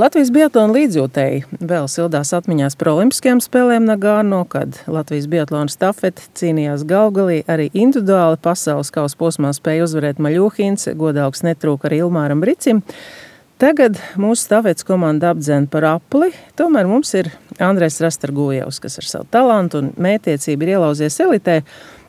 Latvijas biatlona līdzjūtēji vēl sildās atmiņās par olimpiskajām spēlēm Nagārno, kad Latvijas biatlona stafeti cīnījās Gaugalī. Arī individuāli pasaules kausa posmā spēja uzvarēt Maļuhins, godalgs netrūka arī Ilmāram Bricim. Tagad mūsu stafetes komanda apdzen par apli, tomēr mums ir Andrejs Rastargujevs, kas ar savu talantu un mētiecību ir ielauzies elitē.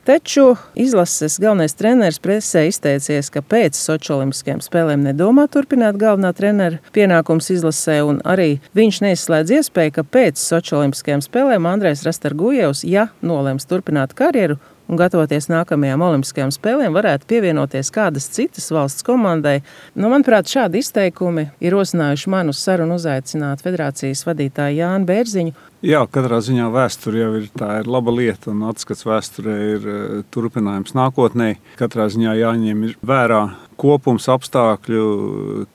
Taču izlases galvenais treneris presē izteicies, ka pēc Soči olimpiskajām spēlēm nedomā turpināt galvenā trenera pienākums izlasē, un arī viņš neizslēdz iespēju, ka pēc Soči olimpiskajām spēlēm Andrejs Rastargujevs, ja nolems turpināt karjeru un gatavoties nākamajām olimpiskajām spēlēm, varētu pievienoties kādas citas valsts komandai. Manuprāt, šādi izteikumi ir rosinājuši man uz sarunu uzaicināt federācijas vadītāju Jāni Bērziņu. Jā, katrā ziņā vēsture jau ir laba lieta, un atskats vēsturē ir turpinājums nākotnē. Katrā ziņā jāņem vērā kopums apstākļu,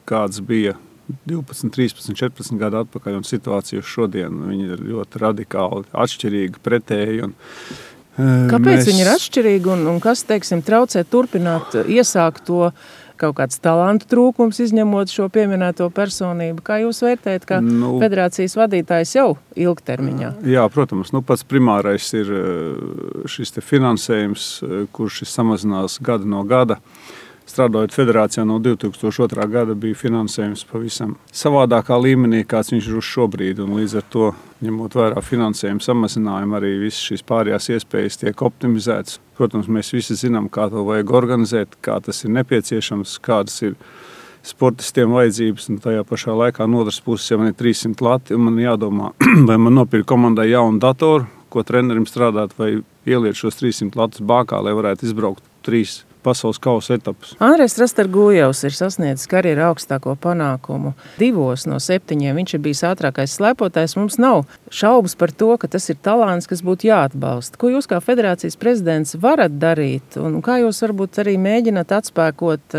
kāds bija 12, 13, 14 gadu atpakaļ, un situācija šodien. Viņi ir ļoti radikāli atšķirīgi, pretēji. Kāpēc viņi ir atšķirīgi un kas, teiksim, traucē turpināt, iesākt to kaut kāds talantu trūkums, izņemot šo pieminēto personību? Kā jūs vērtējat, kā federācijas vadītājs jau ilgtermiņā? Jā, protams. Pats primārais ir šis finansējums, kurš samazinās gadu no gada. Strādājot federācijā no 2002. gada bija finansējums pavisam savādākā līmenī, kāds viņš ir uz šobrīd. Un līdz ar to, ņemot vērā finansējumu samazinājumu, arī visas šīs pārējās iespējas tiek optimizētas. Protams, mēs visi zinām, kā to vajag organizēt, kā tas ir nepieciešams, kādas ir sportistiem vajadzības. Un tajā pašā laikā no otras puses, ja man ir 300 lati, un man jādomā, vai man nopirkt komandai jaunu datoru, ko trenerim strādāt, vai ieliet šos 300 latus bākā, lai varētu izbraukt 3 pasaules kausa etapus. Andrejs Rastargujevs ir sasniedzis karjeru augstāko panākumu 2 no 7. Viņš ir bijis ātrākais slēpotājs. Mums nav šaubas par to, ka tas ir talants, kas būtu jāatbalsta. Ko jūs kā federācijas prezidents varat darīt? Un kā jūs varbūt arī mēģināt atspēkot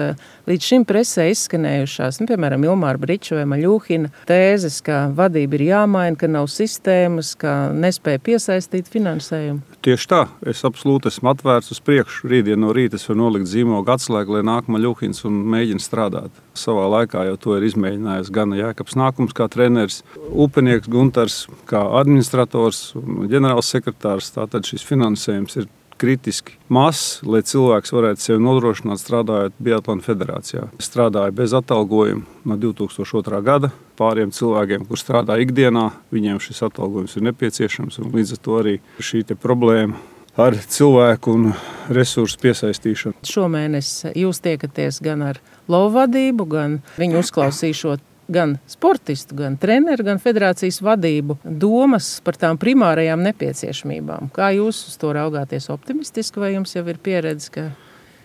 līdz šim presē izskanējušās, piemēram, Ilmāra Briča vai Maļuhina tēzes, ka vadība ir jāmaina, ka nav sistēmas, ka nespēja piesaistīt finansējumu? Tieši tā. Es absolūti esmu atvērts uz priekšu. Rītdien no rīta es varu nolikt zīmogu atslēgu, lai nāk Maļuhins un mēģina strādāt. Savā laikā jau to ir izmēģinājis gan Jēkabs Nākums kā treneris, upenieks Guntars kā administrators un ģenerāls sekretārs. Tātad šis finansējums ir kritiski mazs, lai cilvēks varētu sevi nodrošināt strādājot Biatlona federācijā. Es strādāju bez atalgojuma no 2002. gada. Pāriem cilvēkiem, kur strādā ikdienā, viņiem šis atalgojums ir nepieciešams, un līdz ar to arī šī problēma ar cilvēku un resursu piesaistīšanu. Šomēnes jūs tiekaties gan ar lovvadību, gan viņu uzklausīšot gan sportistu, gan treneru, gan federācijas vadību domas par tām primārajām nepieciešamībām. Kā jūs uz to raugāties optimistiski, vai jums jau ir pieredze, ka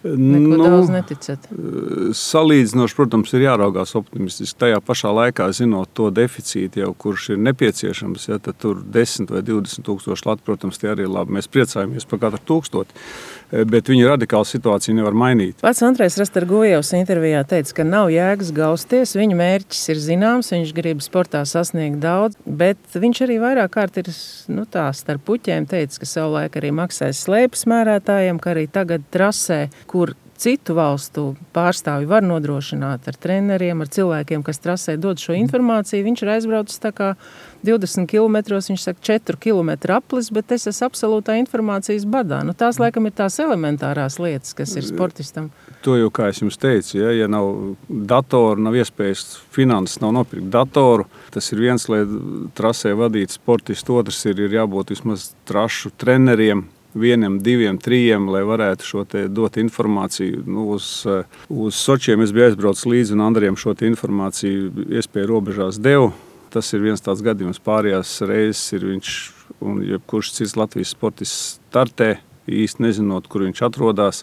neko daudz neticat? Salīdzinoši, protams, ir jāraugās optimistiski. Tajā pašā laikā, zinot to deficītu, jau kurš ir nepieciešams, ja, tad tur 10 vai 20 tūkstoši lati, protams, tie arī ir labi. Mēs priecājamies par katru 1000, bet viņa radikāla situācija nevar mainīt. Pats Andrejs Rastargujevs intervijā teica, ka nav jēgas gausties, viņa mērķis ir zināms, viņš grib sportā sasniegt daudz, bet viņš arī vairāk kārt ir starp puķiem teica, ka savulaik arī maksājas slēpes mērētājiem, ka arī tagad trasē, kur citu valstu pārstāvji var nodrošināt ar treneriem, ar cilvēkiem, kas trasē dod šo informāciju. Viņš ir aizbraucis tā kā 20 kilometros, viņš saka 4 kilometru aplis, bet es esmu absolūtā informācijas badā. Tās laikam ir tās elementārās lietas, kas ir sportistam. To jau, kā es jums teicu, ja nav datoru, nav iespējas finanses, nav nopirkt datoru, tas ir viens, lai trasē vadītu sportistu, otrs ir jābūt vismaz trašu treneriem, 1, 2, 3, lai varētu šo te dot informāciju. Uz Sočiem es biju aizbraucis līdzi un Andriem šo te informāciju iespēju robežās devu. Tas ir viens tāds gadījums. Pārējās reizes ir viņš un jebkurš cits Latvijas sportists startē, īsti nezinot, kur viņš atrodas,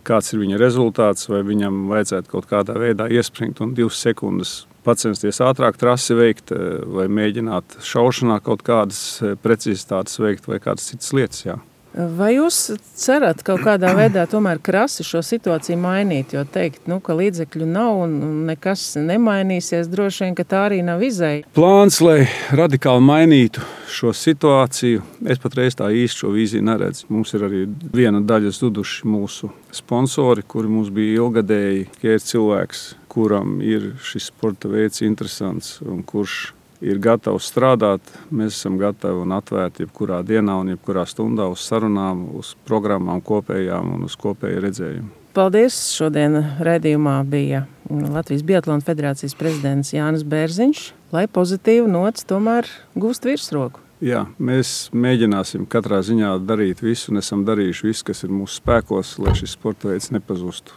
kāds ir viņa rezultāts, vai viņam vajadzētu kaut kādā veidā iespringt un 2 sekundes pacensties ātrāk trasi veikt, vai mēģināt šaušanā kaut kādas precizitātes veikt vai kādas citas lietas, jā. Vai jūs cerat kaut kādā veidā tomēr krasi šo situāciju mainīt, jo teikt, ka līdzekļu nav un nekas nemainīsies, droši vien, ka tā arī nav izēja? Plāns, lai radikāli mainītu šo situāciju, es patreiz tā īsti šo vīziju neredzu. Mums ir arī viena daļa zuduši mūsu sponsori, kuri mums bija ilgadēji, ka ir cilvēks, kuram ir šis sporta veids interesants un kurš ir gatavs strādāt, mēs esam gatavi un atvērti jebkurā dienā un jebkurā stundā uz sarunām, uz programmām kopējām un uz kopēju redzējumu. Paldies! Šodien raidījumā bija Latvijas Biatlona federācijas prezidents Jānis Bērziņš, lai pozitīvu nots tomēr gūst virsroku. Jā, mēs mēģināsim katrā ziņā darīt visu un esam darījuši visu, kas ir mūsu spēkos, lai šis sporta veids nepazustu.